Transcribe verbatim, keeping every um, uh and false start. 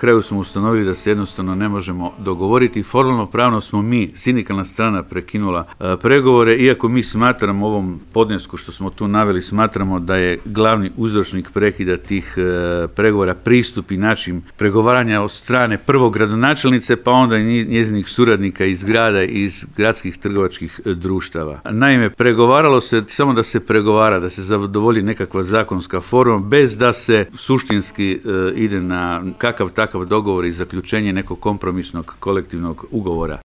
kraju smo ustanovili da se jednostavno ne možemo dogovoriti. Formalno pravno smo mi, sindikalna strana, prekinula e, pregovore, iako mi smatramo ovom podnesku što smo tu naveli, smatramo da je glavni uzročnik prekida tih e, pregovora pristup i način pregovaranja od strane prvog gradonačelnice, pa onda i njezinih suradnika iz grada i iz gradskih trgovačkih društava. Naime, pregovaralo se samo da se pregovara, da se zadovolji nekakva zakonska forma, bez da se suštinski e, ide na kakav takav dogovor i zaključenje nekog kompromisnog kolektivnog ugovora.